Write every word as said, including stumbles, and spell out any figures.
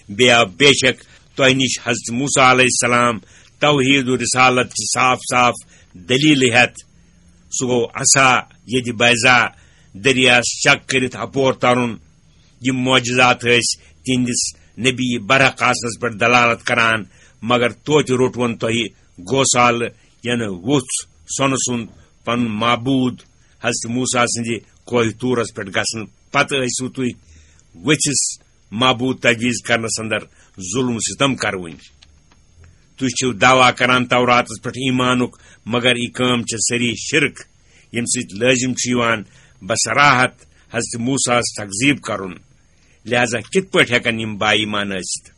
بیٚیہِ آو بے شک تۄہہِ نِش حضرت موسیٰ علیہ السلام توحید و رسالت چہِ صاف صاف دلیلہٕ ہٮ۪تھ۔ سُہ گوٚو عصا یدِ بیضا، دٔریاہس چک کٔرِتھ اپور ترُن۔ یِم معجزات ٲسۍ تِہنٛدِس نبی برحق آسنس پٮ۪ٹھ دلالت کران، مگر توتہِ روٚٹون تۄہہِ گوسالہٕ، یعنی ووٚژھ سۄنہٕ سُنٛد پنُن معبود۔ حضرت موسیٰ سٕنٛدِ کوہِ طورس پٮ۪ٹھ گژھنہٕ پتہٕ ٲسِو تُہۍ ؤژھِس معبود تجویز کرنس اندر ظلم و ستم کروٕنۍ۔ تُہۍ چھِو دعویٰ کران توراتس پٮ۪ٹھ ایمانُک، مگر یہِ کٲم چھِ سٲری شرک، ییٚمہِ سۭتۍ لٲزم چھُ یِوان بصراحت حضرت موسیٰ ہس تکذیب کرُن۔ لہذا کِتھ پٲٹھۍ ہٮ۪کن یِم با ایمان ٲسِتھ؟